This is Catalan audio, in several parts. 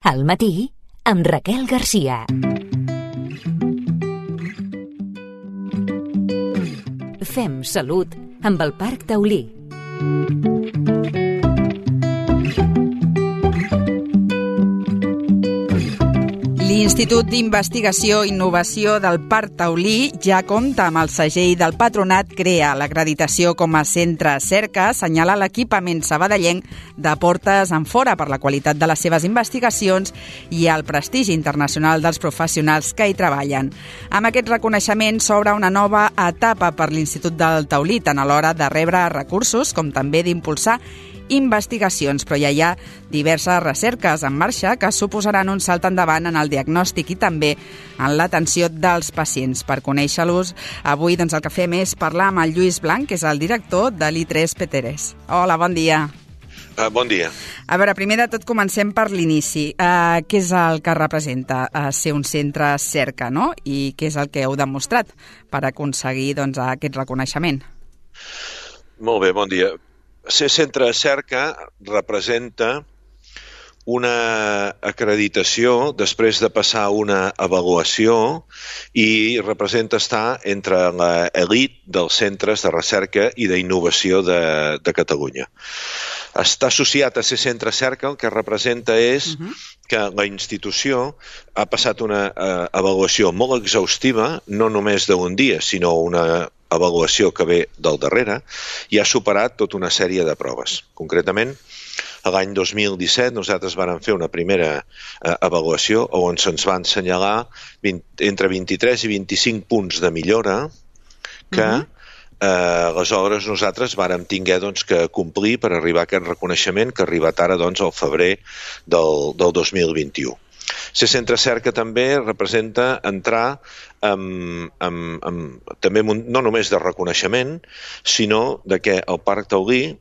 Al matí, amb Raquel Garcia. Fem salut amb el Parc Taulí. L'Institut d'Investigació i Innovació del Parc Taulí ja compta amb el segell del Patronat CREA. L'acreditació com a centre cerca assenyala l'equipament sabadellenc de portes enfora per la qualitat de les seves investigacions i el prestigi internacional dels professionals que hi treballen. Amb aquest reconeixement s'obre una nova etapa per l'Institut del Taulí, tant a l'hora de rebre recursos com també d'impulsar investigacions, però ja hi ha diverses recerques en marxa que suposaran un salt endavant en el diagnòstic i també en l'atenció dels pacients. Per conèixer-los, avui el que fem és parlar amb el Lluís Blanc, que és el director de l'I3 P3. Hola, bon dia. Bon dia. A veure, primer de tot comencem per l'inici. Què és el que representa ser un centre cerca, no? I què és el que heu demostrat per aconseguir aquest reconeixement? Molt bé, bon dia. Ser centre cerca representa una acreditació després de passar una avaluació i representa estar entre l'elit dels centres de recerca i d'innovació de Catalunya. Està associat a ser centre cerca, el que representa és que la institució ha passat una avaluació molt exhaustiva, no només d'un dia, sinó una avaluació que ve del darrere, i ha superat tota una sèrie de proves. Concretament, l'any 2017 nosaltres vam fer una primera avaluació on se'ns van assenyalar entre 23 i 25 punts de millora que aleshores nosaltres vàrem tinguer que complir per arribar a aquest reconeixement que ha arribat ara al febrer del 2021. Ser centre cerca també representa entrar també no només de reconeixement, sinó de que el Parc Taulí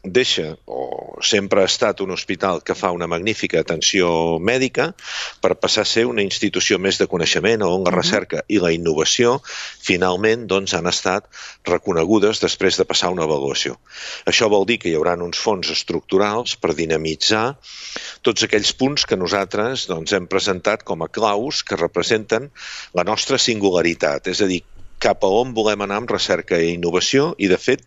deixa, o sempre ha estat un hospital que fa una magnífica atenció mèdica per passar a ser una institució més de coneixement on la recerca i la innovació finalment han estat reconegudes després de passar una avaluació. Això vol dir que hi haurà uns fons estructurals per dinamitzar tots aquells punts que nosaltres hem presentat com a claus que representen la nostra singularitat, és a dir, cap a on volem anar amb recerca i innovació, i de fet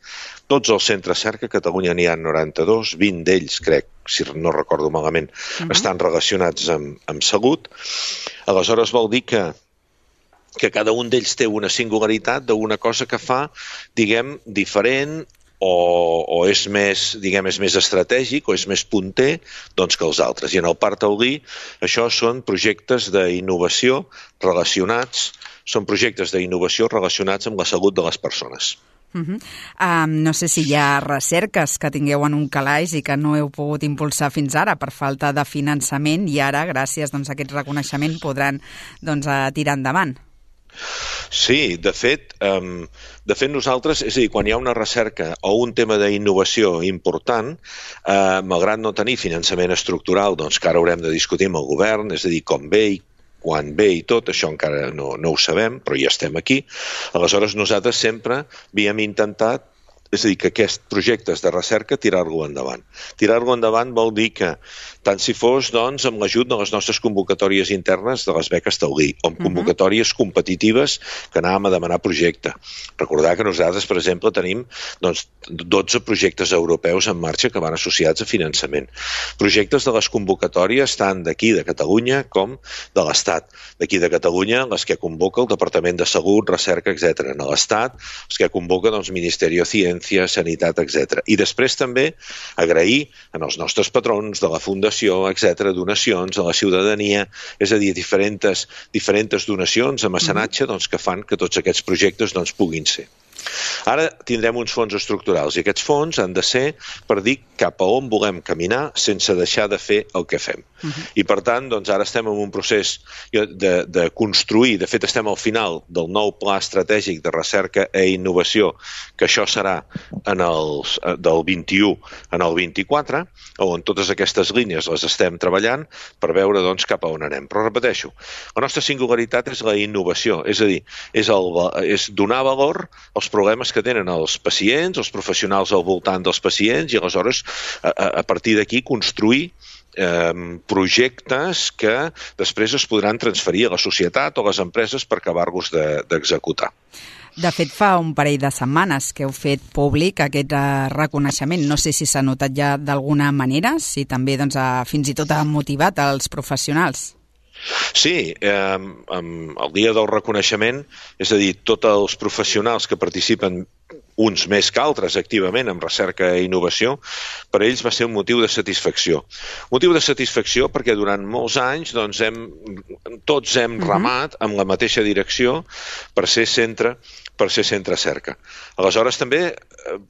tots els centres cerca, a Catalunya n'hi ha 92, 20 d'ells, crec, si no recordo malament, estan relacionats amb salut. Aleshores vol dir que cada un d'ells té una singularitat d'una cosa que fa, diguem, diferent o és més, diguem, és més estratègic o és més punter que els altres. I en el Parc Taulí això són projectes d'innovació relacionats amb la salut de les persones. No sé si hi ha recerques que tingueu en un calaix i que no heu pogut impulsar fins ara per falta de finançament i ara, gràcies a aquest reconeixement, podran tirar endavant. Sí, de fet nosaltres, és a dir, quan hi ha una recerca o un tema d'innovació important, malgrat no tenir finançament estructural, que ara haurem de discutir amb el govern, és a dir, com ve i quan ve i tot, això encara no ho sabem, però ja estem aquí. Aleshores nosaltres sempre havíem intentat, és a dir, que aquests projectes de recerca tirar-lo endavant. Tirar-lo endavant vol dir que tant si fos amb l'ajut de les nostres convocatòries internes de les beques Taulí, o amb convocatòries competitives que anàvem a demanar projecte. Recordar que nosaltres, per exemple, tenim 12 projectes europeus en marxa que van associats a finançament. Projectes de les convocatòries tant d'aquí de Catalunya com de l'Estat. D'aquí de Catalunya, les que convoca el Departament de Salut, Recerca, etc. En l'Estat, els que convoca Ministeri de Ciència, Sanitat, etc. I després també agrair als nostres patrons de la Fundació, etc., donacions a la ciutadania, és a dir, diferents donacions a mecenatge que fan que tots aquests projectes puguin ser. Ara tindrem uns fons estructurals i aquests fons han de ser per dir cap a on volem caminar sense deixar de fer el que fem. I per tant, ara estem en un procés de construir, de fet estem al final del nou pla estratègic de recerca i innovació, que això serà del 21 en el 24, on totes aquestes línies les estem treballant per veure cap a on anem. Però repeteixo, la nostra singularitat és la innovació, és a dir, és donar valor als problemes que tenen els pacients, els professionals al voltant dels pacients i aleshores a partir d'aquí construir projectes que després es podran transferir a la societat o a les empreses per acabar-los d'executar. De fet, fa un parell de setmanes que heu fet públic aquest reconeixement. No sé si s'ha notat ja d'alguna manera, si també fins i tot ha motivat els professionals. Sí, el dia del reconeixement, és a dir, tots els professionals que participen, uns més que altres activament en recerca i innovació, per ells va ser un motiu de satisfacció. Motiu de satisfacció perquè durant molts anys tots hem remat amb la mateixa direcció per ser centre cerca. Aleshores també,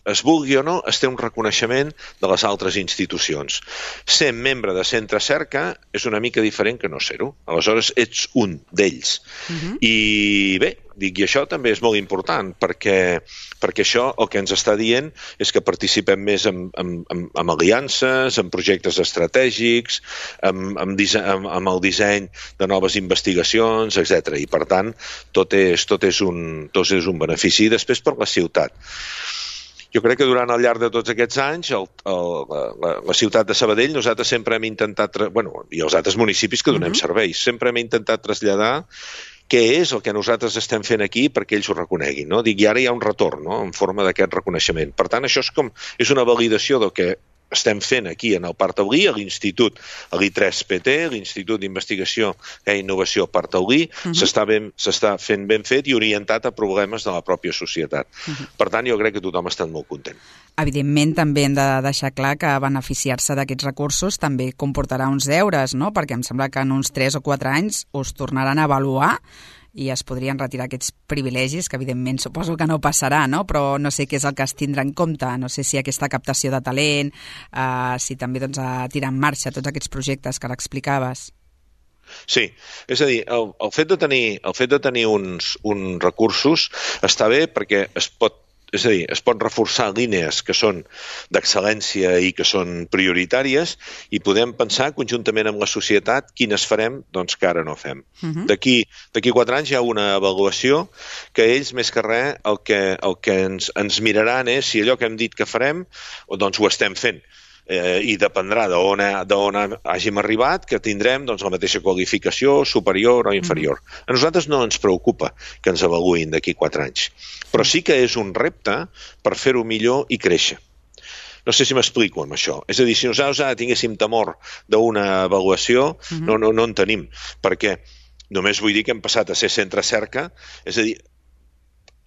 es vulgui o no, es té un reconeixement de les altres institucions. Ser membre de centre cerca és una mica diferent que no ser-ho. Aleshores ets un d'ells. I bé, i això també és molt important perquè això el que ens està dient és que participem més en aliances, en projectes estratègics, amb el disseny de noves investigacions, etc. I per tant, tot és un benefici. I després per la ciutat. Jo crec que durant el llarg de tots aquests anys, la ciutat de Sabadell, nosaltres sempre hem intentat, i els altres municipis que donem serveis, sempre hem intentat traslladar què és el que nosaltres estem fent aquí perquè ells ho reconeguin. No? I ara hi ha un retorn en forma d'aquest reconeixement. Per tant, això és una validació del que estem fent aquí en el Parc Taulí, a l'Institut, a l'I3PT, l'Institut d'Investigació i Innovació Parc Taulí, s'està fent ben fet i orientat a problemes de la pròpia societat. Per tant, jo crec que tothom ha estat molt content. Evidentment, també hem de deixar clar que beneficiar-se d'aquests recursos també comportarà uns deures, no? Perquè em sembla que en uns 3 o 4 anys us tornaran a avaluar i es podrien retirar aquests privilegis, que evidentment suposo que no passarà, no? Però no sé què és el que es tindrà en compte, no sé si aquesta captació de talent, si també a tirar en marxa tots aquests projectes que ara explicaves. Sí, és a dir, el fet de tenir uns recursos està bé perquè es pot reforçar línies que són d'excel·lència i que són prioritàries i podem pensar conjuntament amb la societat quines farem, doncs que ara no fem. D'aquí 4 anys hi ha una avaluació que ells, més que res, el que ens miraran és si allò que hem dit que farem, doncs ho estem fent. I dependrà d'on hàgim arribat, que tindrem la mateixa qualificació, superior o inferior. A nosaltres no ens preocupa que ens avaluïn d'aquí 4 anys, però sí que és un repte per fer-ho millor i créixer. No sé si m'explico amb això. És a dir, si nosaltres ara tinguéssim temor d'una avaluació, no en tenim, perquè només vull dir que hem passat a ser centre cerca, és a dir,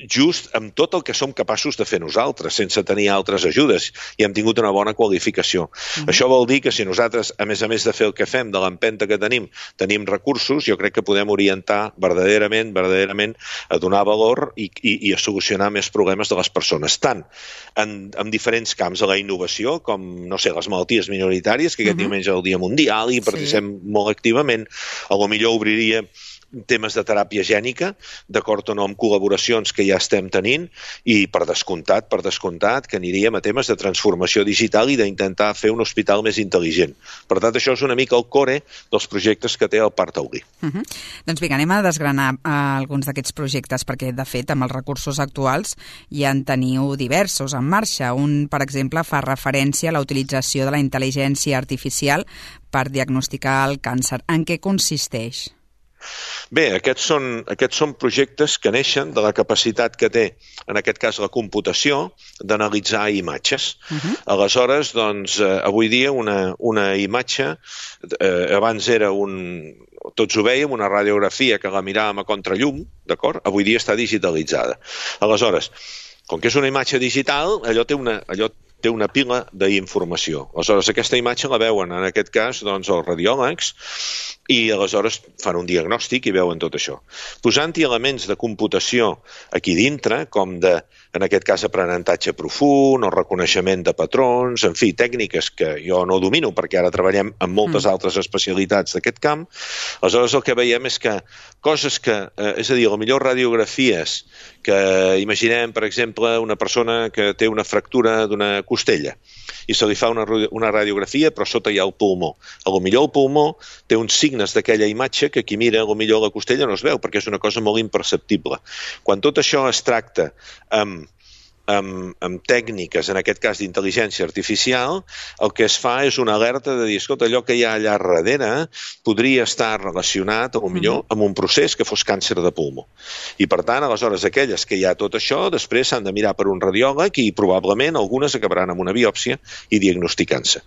just amb tot el que som capaços de fer nosaltres, sense tenir altres ajudes, i hem tingut una bona qualificació. Això vol dir que si nosaltres, a més de fer el que fem, de l'empenta que tenim recursos, jo crec que podem orientar verdaderament a donar valor i a solucionar més problemes de les persones, tant en diferents camps de la innovació, com, no sé, les malalties minoritàries, que aquest diumenge és el Dia Mundial i participem molt activament, potser obriria temes de teràpia gènica, d'acord o no amb col·laboracions que ja estem tenint, i per descomptat que aniríem a temes de transformació digital i d'intentar fer un hospital més intel·ligent. Per tant, això és una mica el core dels projectes que té el Parc Taulí. Doncs vinga, anem a desgranar alguns d'aquests projectes, perquè, de fet, amb els recursos actuals ja en teniu diversos en marxa. Un, per exemple, fa referència a la utilització de la intel·ligència artificial per diagnosticar el càncer. En què consisteix? Bé, aquests són projectes que neixen de la capacitat que té, en aquest cas la computació, d'analitzar imatges. Aleshores, doncs, avui dia una imatge, abans era tots ho vèiem, una radiografia que la miràvem a contrallum, d'acord? Avui dia està digitalitzada. Aleshores, com que és una imatge digital, allò té una pila d'informació. Aleshores, aquesta imatge la veuen, en aquest cas, doncs, els radiòlegs, i aleshores fan un diagnòstic i veuen tot això. Posant-hi elements de computació aquí dintre, com en aquest cas, aprenentatge profund o reconeixement de patrons, en fi, tècniques que jo no domino perquè ara treballem en moltes altres especialitats d'aquest camp. Aleshores, el que veiem és que coses que, és a dir, potser radiografies que imaginem, per exemple, una persona que té una fractura d'una costella i se li fa una radiografia, però sota hi ha el pulmó. Potser el pulmó té uns signes d'aquella imatge que qui mira, potser la costella no es veu, perquè és una cosa molt imperceptible. Quan tot això es tracta amb amb tècniques, en aquest cas d'intel·ligència artificial, el que es fa és una alerta de dir, escolta, allò que hi ha allà darrere podria estar relacionat, potser amb un procés que fos càncer de pulmó. I, per tant, aleshores, aquelles que hi ha tot això, després s'han de mirar per un radiòleg i probablement algunes acabaran amb una biòpsia i diagnosticant-se.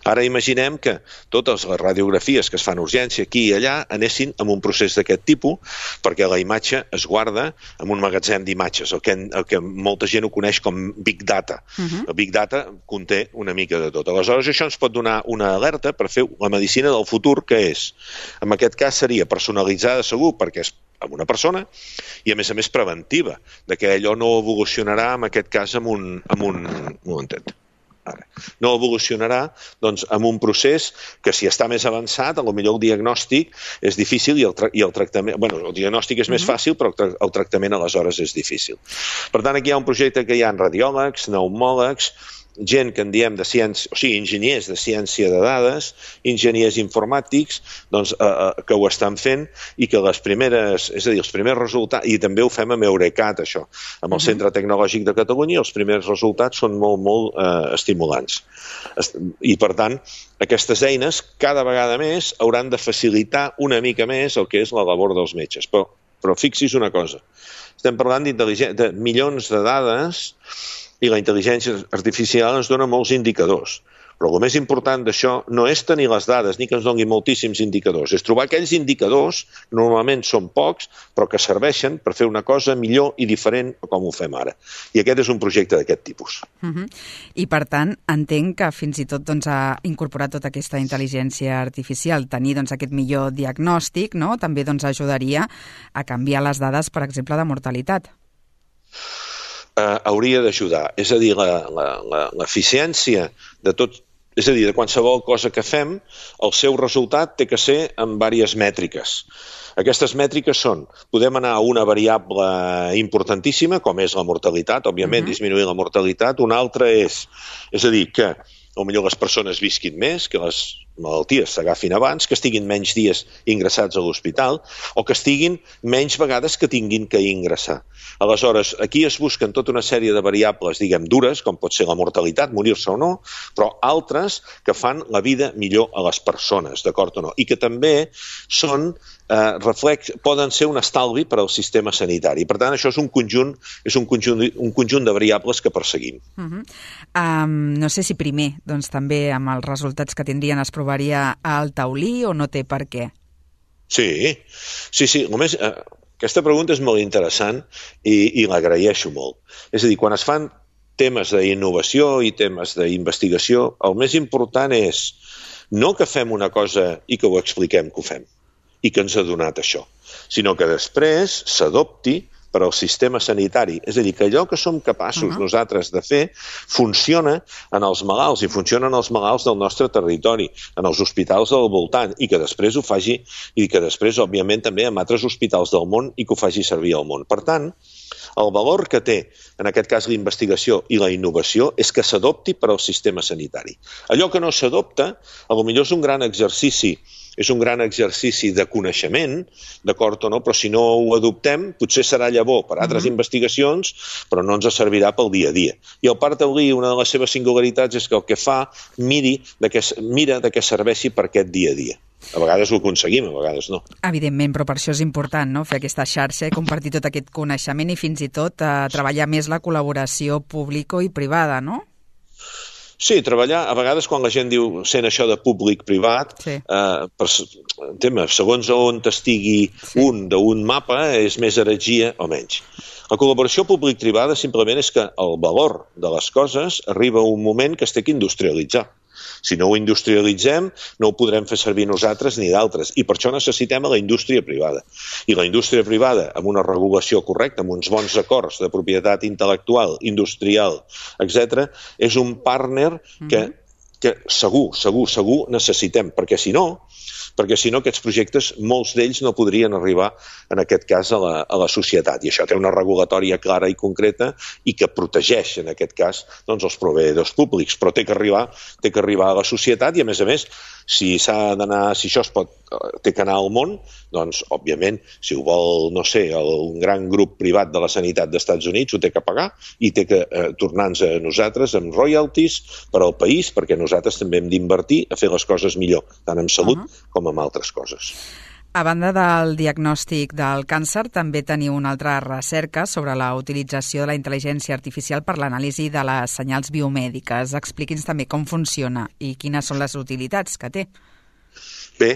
Ara imaginem que totes les radiografies que es fan a urgència aquí i allà anessin amb un procés d'aquest tipus, perquè la imatge es guarda en un magatzem d'imatges, el que molta gent ho coneix com Big Data. El Big Data conté una mica de tot. Aleshores, això ens pot donar una alerta per fer la medicina del futur, que és, en aquest cas seria personalitzada segur, perquè és amb una persona, i a més preventiva, de que allò no evolucionarà, en aquest cas, amb un momentet. Ara, no evolucionarà doncs, amb un procés que si està més avançat, potser el diagnòstic és difícil i el tractament... Bueno, el diagnòstic és més fàcil, però el tractament aleshores és difícil. Per tant, aquí hi ha un projecte que hi ha radiòlegs, pneumòlegs, gent que en diem de ciència, o sigui, enginyers de ciència de dades, enginyers informàtics, doncs, que ho estan fent i que els primers resultats, i també ho fem amb Eurecat, això, amb el Centre Tecnològic de Catalunya, els primers resultats són molt estimulants. I, per tant, aquestes eines cada vegada més hauran de facilitar una mica més el que és la labor dels metges. Però fixi's una cosa, estem parlant de milions de dades i la intel·ligència artificial ens dona molts indicadors. Però el més important d'això no és tenir les dades ni que ens doni moltíssims indicadors, és trobar aquells indicadors, que normalment són pocs, però que serveixen per fer una cosa millor i diferent com ho fem ara. I aquest és un projecte d'aquest tipus. I, per tant, entenc que fins i tot ha incorporat tota aquesta intel·ligència artificial, tenir aquest millor diagnòstic, no? També ajudaria a canviar les dades, per exemple, de mortalitat. Hauria d'ajudar. És a dir, l'eficiència de tot, és a dir, de qualsevol cosa que fem, el seu resultat té que ser amb diverses mètriques. Aquestes mètriques són, podem anar a una variable importantíssima, com és la mortalitat, òbviament disminuir la mortalitat, una altra és a dir, que potser les persones visquin més, que les malalties s'agafin abans, que estiguin menys dies ingressats a l'hospital o que estiguin menys vegades que tinguin que ingressar. Aleshores, aquí es busquen tota una sèrie de variables, diguem, dures, com pot ser la mortalitat, morir-se o no, però altres que fan la vida millor a les persones, d'acord o no? I que també són poden ser un estalvi per al sistema sanitari. Per tant, això és un conjunt de variables que perseguim. No sé si primer, també amb els resultats que tindrien es provaria al taulí o no té per què? Sí. Només, aquesta pregunta és molt interessant i l'agraeixo molt. És a dir, quan es fan temes d'innovació i temes d'investigació, el més important és no que fem una cosa i que ho expliquem que ho fem i que ens ha donat això, sinó que després s'adopti per al sistema sanitari. És a dir, que allò que som capaços nosaltres de fer funciona en els malalts i funciona en els malalts del nostre territori, en els hospitals del voltant, i que després ho faci, i que després, òbviament, també en altres hospitals del món i que ho faci servir al món. Per tant, el valor que té, en aquest cas, la investigació i la innovació és que s'adopti per al sistema sanitari. Allò que no s'adopta, potser és un gran exercici, de coneixement, d'acord o no, però si no ho adoptem, potser serà llavor per altres investigacions, però no ens servirà pel dia a dia. I el parc taulí, una de les seves singularitats és que el que fa, mira de què serveixi per aquest dia a dia. A vegades ho aconseguim, a vegades no. Evidentment, però per això és important, no?, fer aquesta xarxa i compartir tot aquest coneixement i fins i tot treballar més la col·laboració pública i privada, no? Sí, treballar, a vegades quan la gent diu sent això de públic-privat, segons on estigui d'un mapa, és més heretgia o menys. La col·laboració públic-privada simplement és que el valor de les coses arriba a un moment que es té que industrialitzar. Si no ho industrialitzem, no ho podrem fer servir nosaltres ni d'altres. I per això necessitem la indústria privada. I la indústria privada, amb una regulació correcta, amb uns bons acords de propietat intel·lectual, industrial, etc., és un partner que segur necessitem, perquè si no, perquè si no aquests projectes, molts d'ells no podrien arribar, en aquest cas, a la societat. I això té una regulatòria clara i concreta i que protegeix, en aquest cas, doncs, els proveïdors públics, però té que arribar a la societat i, a més, si això té que anar al món, doncs, òbviament, si ho vol, no sé, un gran grup privat de la sanitat dels Estats Units ho té que pagar i té que tornar-nos a nosaltres amb royalties per al país, perquè nosaltres també hem d'invertir a fer les coses millor, tant en salut com en altres coses. A banda del diagnòstic del càncer, també teniu una altra recerca sobre la utilització de la intel·ligència artificial per l'anàlisi de les senyals biomèdiques. Expliqui'ns també com funciona i quines són les utilitats que té. Bé,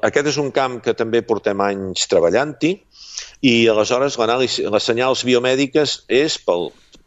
aquest és un camp que també portem anys treballant-hi i aleshores les senyals biomèdiques és per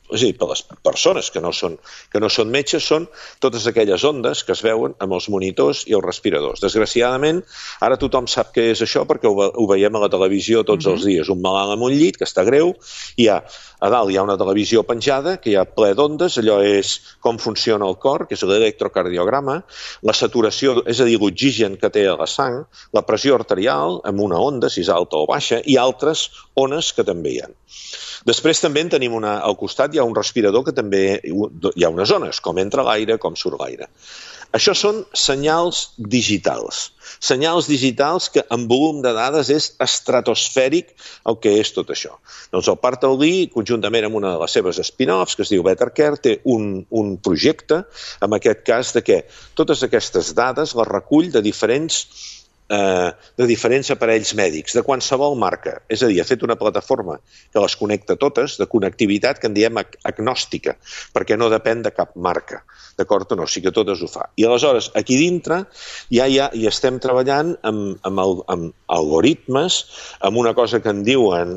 les persones que no són metges, són totes aquelles ondes que es veuen amb els monitors i els respiradors. Desgraciadament, ara tothom sap què és això perquè ho veiem a la televisió tots els dies. Un malalt amb un llit que està greu, i a dalt hi ha una televisió penjada que hi ha ple d'ondes, allò és com funciona el cor, que és l'electrocardiograma, la saturació, és a dir, l'oxigen que té a la sang, la pressió arterial amb una onda, si és alta o baixa, i altres ones que també hi ha. Després també en tenim al costat, hi ha un respirador que també hi ha unes zones, com entra l'aire, com surt l'aire. Això són senyals digitals. Senyals digitals que en volum de dades és estratosfèric el que és tot això. Doncs el Parc Taulí, conjuntament amb una de les seves spin-offs, que es diu BetterCare, té un projecte, en aquest cas, de què totes aquestes dades les recull de diferents aparells mèdics, de qualsevol marca. És a dir, ha fet una plataforma que les connecta totes, de connectivitat que en diem agnòstica, perquè no depèn de cap marca. D'acord o no? Sí que totes ho fa. I aleshores, aquí dintre, ja hi estem treballant amb algoritmes, amb una cosa que en diuen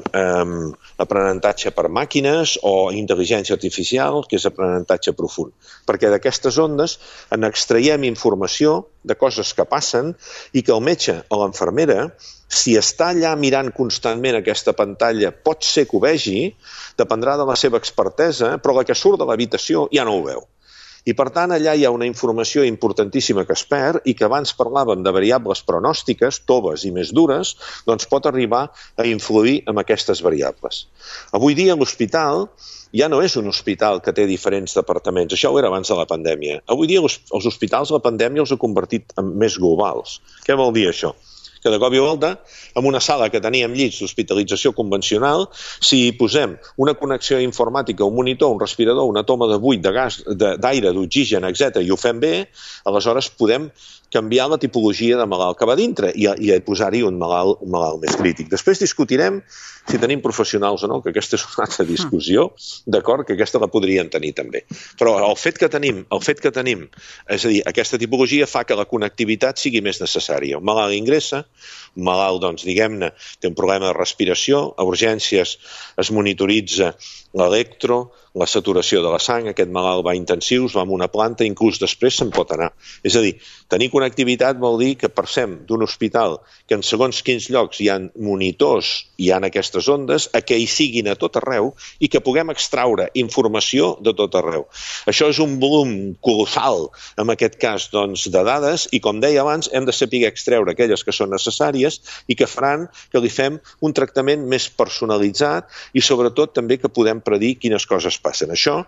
aprenentatge per màquines o intel·ligència artificial, que és aprenentatge profund. Perquè d'aquestes ondes en extraiem informació de coses que passen i que el metge o l'infermera, si està allà mirant constantment aquesta pantalla, pot ser que ho vegi, dependrà de la seva expertesa, però la que surt de l'habitació ja no ho veu. I, per tant, allà hi ha una informació importantíssima que es perd i que abans parlàvem de variables pronòstiques, toves i més dures, doncs pot arribar a influir en aquestes variables. Avui dia l'hospital ja no és un hospital que té diferents departaments. Això ho era abans de la pandèmia. Avui dia els hospitals la pandèmia els ha convertit en més globals. Què vol dir això? Que de cop i volta, en una sala que teníem llits d'hospitalització convencional, si hi posem una connexió informàtica, un monitor, un respirador, una toma de buit, de gas, d'aire, d'oxigen, etc., i ho fem bé, aleshores podem canviar la tipologia de malalt que va dintre i posar-hi un malalt més crític. Després discutirem si tenim professionals o no, que aquesta és una altra discussió, d'acord, que aquesta la podrien tenir també. Però el fet que tenim, és a dir, aquesta tipologia fa que la connectivitat sigui més necessària. Un malalt ingressa, un malalt, doncs, diguem-ne, té un problema de respiració, a urgències es monitoritza l'electro, la saturació de la sang, aquest malalt va a intensius, va a una planta, inclús després se'n pot anar. És a dir, tenir connectivitat vol dir que passem d'un hospital que en segons quins llocs hi ha monitors i hi ha aquestes ondes, a que hi siguin a tot arreu i que puguem extraure informació de tot arreu. Això és un volum colossal, en aquest cas, doncs, de dades, i com deia abans, hem de saber extreure aquelles que són necessàries i que faran que li fem un tractament més personalitzat i sobretot també que podem predir quines coses passen. Això,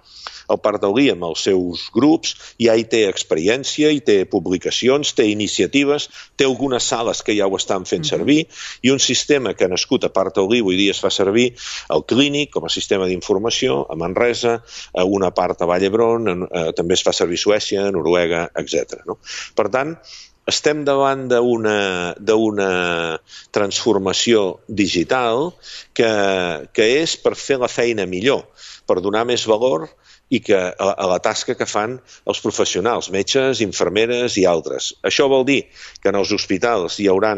el Parc Taulí amb els seus grups ja hi té experiència, hi té publicacions, té iniciatives, té algunes sales que ja ho estan fent servir i un sistema que ha nascut a Parc Taulí avui dia es fa servir al Clínic com a sistema d'informació, a Manresa, a una part a Vall d'Hebron, també es fa servir a Suècia, a Noruega, etc. Per tant, estem davant d'una transformació digital que és per fer la feina millor, per donar més valor i a la tasca que fan els professionals, metges, infermeres i altres. Això vol dir que en els hospitals hi haurà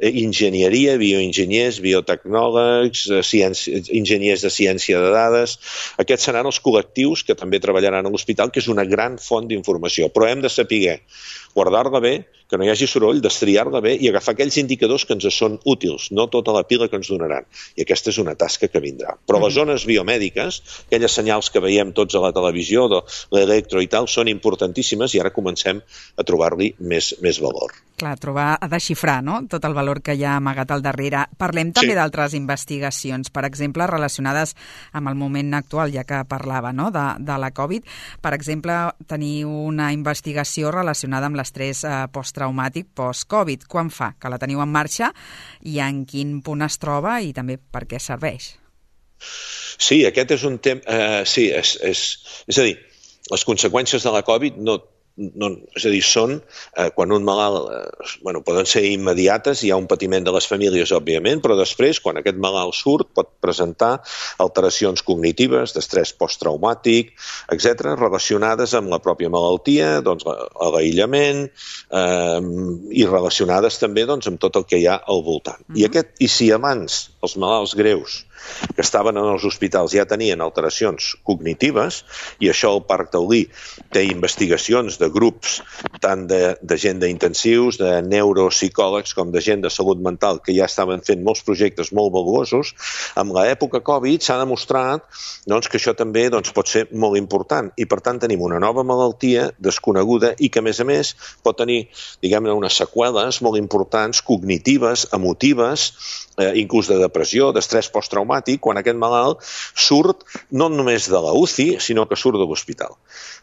enginyeria, bioenginyers, biotecnòlegs, enginyers de ciència de dades. Aquests seran els col·lectius que també treballaran a l'hospital, que és una gran font d'informació. Però hem de saber guardar-la bé, que no hi hagi soroll, destriar-la bé i agafar aquells indicadors que ens són útils, no tota la pila que ens donaran. I aquesta és una tasca que vindrà. Però les zones biomèdiques, aquelles senyals que veiem tots a la televisió, de l'electro i tal, són importantíssimes i ara comencem a trobar-li més valor. Clar, trobar, desxifrar, no?, tot el valor que hi ha amagat al darrere. Parlem també d'altres investigacions, per exemple, relacionades amb el moment actual, ja que parlava, no?, de la Covid. Per exemple, teniu una investigació relacionada amb l'estrès posttraumàtic post-Covid. Quan fa que la teniu en marxa i en quin punt es troba i també per què serveix? Sí, aquest és un tema... sí, és a dir, les conseqüències de la Covid és a dir, són quan un malalt, poden ser immediates, hi ha un patiment de les famílies, òbviament, però després, quan aquest malalt surt, pot presentar alteracions cognitives, d'estrès posttraumàtic, etc., relacionades amb la pròpia malaltia, doncs l'aïllament, i relacionades també amb tot el que hi ha al voltant. I si abans els malalts greus que estaven en els hospitals ja tenien alteracions cognitives, i això el Parc Taulí té investigacions de grups tant de gent d'intensius, de neuropsicòlegs com de gent de salut mental que ja estaven fent molts projectes molt valuosos, amb l'època Covid s'ha demostrat que això també pot ser molt important i per tant tenim una nova malaltia desconeguda i que a més pot tenir, diguem-ne, unes seqüeles molt importants, cognitives, emotives, inclús de depressió, d'estrès posttraumàtic, quan aquest malalt surt no només de la UCI, sinó que surt de l'hospital.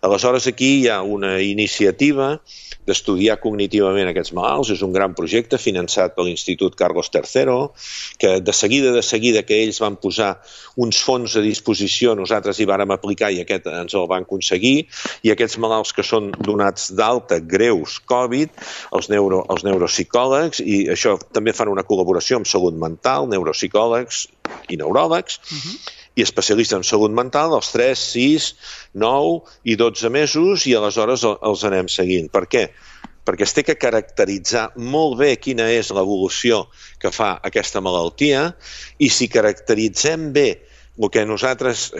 Aleshores, aquí hi ha una iniciativa d'estudiar cognitivament aquests malalts. És un gran projecte finançat per l'Institut Carlos III, que de seguida que ells van posar uns fons a disposició, nosaltres hi vàrem aplicar i aquest ens el van aconseguir, i aquests malalts que són donats d'alta greus Covid, els neuropsicòlegs, i això també fan una col·laboració amb salut mental, neuropsicòlegs i neuròlegs, i especialistes en salut mental, als 3, 6, 9 i 12 mesos, i aleshores els anem seguint. Per què? Perquè es té que caracteritzar molt bé quina és l'evolució que fa aquesta malaltia, i si caracteritzem bé el que nosaltres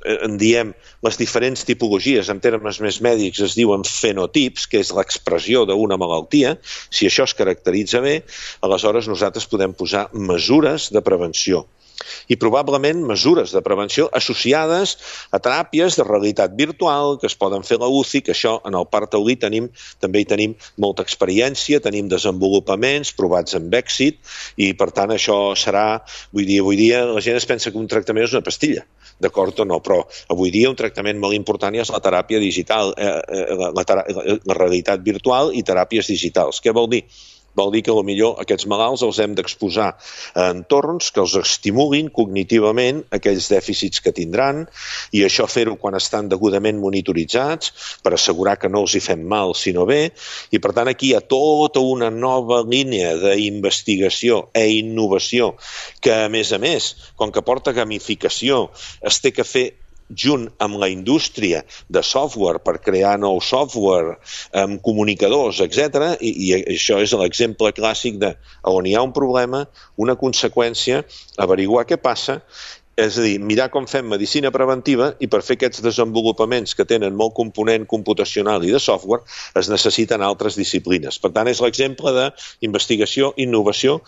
en diem les diferents tipologies, en termes més mèdics es diuen fenotips, que és l'expressió d'una malaltia, si això es caracteritza bé, aleshores nosaltres podem posar mesures de prevenció. I probablement mesures de prevenció associades a teràpies de realitat virtual que es poden fer a la UCI, que això en el Parc Taulí també hi tenim molta experiència, tenim desenvolupaments provats amb èxit, i per tant això serà, avui dia la gent es pensa que un tractament és una pastilla, d'acord o no, però avui dia un tractament molt important és la teràpia digital, la realitat virtual i teràpies digitals. Què vol dir? Vol dir que potser aquests malalts els hem d'exposar a entorns que els estimulin cognitivament aquells dèficits que tindran, i això fer-ho quan estan degudament monitoritzats per assegurar que no els hi fem mal sinó bé, i per tant aquí hi ha tota una nova línia d'investigació i innovació que a més, com que porta gamificació, es té que fer junt amb la indústria de software per crear nou software, comunicadors, etc. I això és l'exemple clàssic de on hi ha un problema, una conseqüència, averiguar què passa, és a dir, mirar com fem medicina preventiva, i per fer aquests desenvolupaments que tenen molt component computacional i de software es necessiten altres disciplines. Per tant, és l'exemple d'investigació, innovació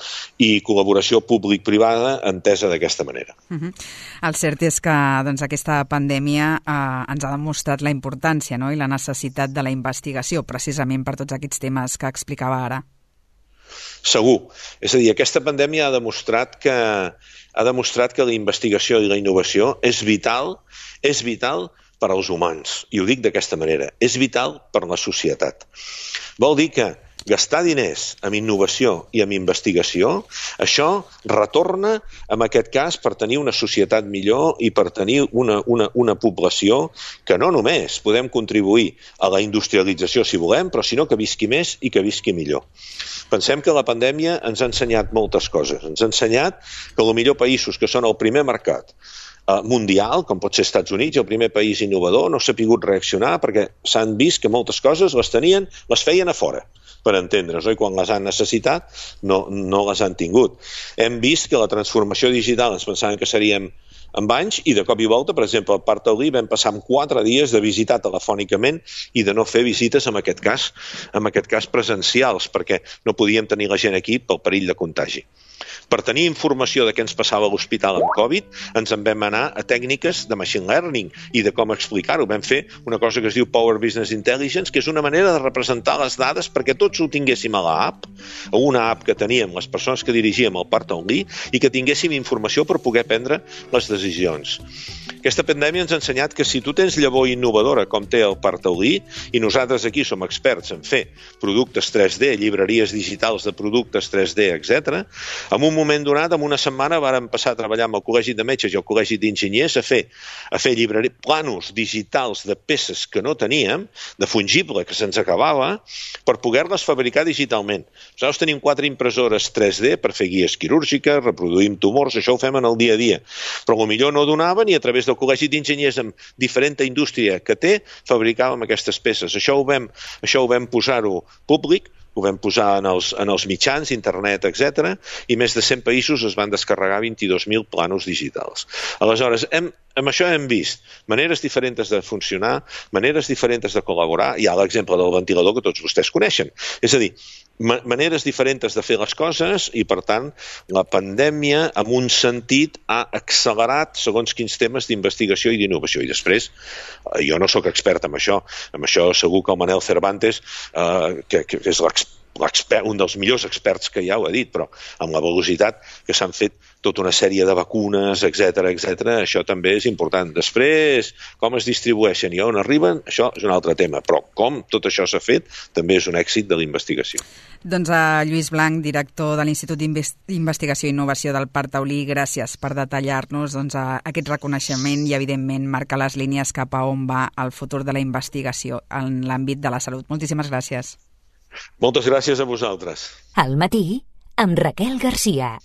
i col·laboració públic-privada entesa d'aquesta manera. El cert és que aquesta pandèmia ens ha demostrat la importància i la necessitat de la investigació, precisament per tots aquests temes que explicava ara. Segur. És a dir, aquesta pandèmia ha demostrat que la investigació i la innovació és vital per als humans. I ho dic d'aquesta manera. És vital per la societat. Vol dir que gastar diners en innovació i en investigació, això retorna, en aquest cas, per tenir una societat millor i per tenir una població que no només podem contribuir a la industrialització, si volem, però sinó que visqui més i que visqui millor. Pensem que la pandèmia ens ha ensenyat moltes coses. Ens ha ensenyat que potser països que són el primer mercat mundial, com pot ser Estats Units, el primer país innovador, no s'ha pogut reaccionar perquè s'han vist que moltes coses les feien a fora, per entendre's, i quan les han necessitat no les han tingut. Hem vist que la transformació digital ens pensàvem que seríem amb anys, i de cop i volta, per exemple, al Parc Taulí vam passar en 4 dies de visitar telefònicament i de no fer visites, en aquest cas presencials, perquè no podíem tenir la gent aquí pel perill de contagi. Per tenir informació de què ens passava a l'hospital amb Covid, ens en vam anar a tècniques de machine learning i de com explicar-ho. Vam fer una cosa que es diu Power Business Intelligence, que és una manera de representar les dades perquè tots ho tinguéssim a l'app, a una app que teníem les persones que dirigíem el Parc Taulí i que tinguéssim informació per poder prendre les decisions. Aquesta pandèmia ens ha ensenyat que si tu tens llavor innovadora com té el Parc Taulí, i nosaltres aquí som experts en fer productes 3D, llibreries digitals de productes 3D, etc., en un moment donat, en una setmana, vàrem passar a treballar amb el Col·legi de Metges i el Col·legi d'Enginyers a fer planos digitals de peces que no teníem, de fungible que se'ns acabava, per poder-les fabricar digitalment. Nosaltres tenim 4 impressores 3D per fer guies quirúrgiques, reproduïm tumors, això ho fem en el dia a dia. Però potser no donaven i a través del Col·legi d'Enginyers amb diferent indústria que té, fabricàvem aquestes peces. Això ho vam posar-ho públic, ho vam posar en els mitjans, internet, etc. I més de 100 països es van descarregar 22.000 planos digitals. Aleshores, amb això hem vist maneres diferents de funcionar, maneres diferents de col·laborar. Hi ha l'exemple del ventilador que tots vostès coneixen. És a dir, maneres diferents de fer les coses i, per tant, la pandèmia, en un sentit, ha accelerat segons quins temes d'investigació i d'innovació. I després, jo no sóc expert en això segur que el Manel Cervantes, que és un dels millors experts que hi ha, ho ha dit, però amb la velocitat que s'han fet tota una sèrie de vacunes, etc., això també és important. Després, com es distribueixen i on arriben, això és un altre tema, però com tot això s'ha fet també és un èxit de la investigació. Doncs a Lluís Blanc, director de l'Institut d'Investigació i Innovació del Parc Taulí, gràcies per detallar-nos aquest reconeixement i, evidentment, marcar les línies cap a on va el futur de la investigació en l'àmbit de la salut. Moltíssimes gràcies. Moltes gràcies a vosaltres. Al matí, amb Raquel Garcia.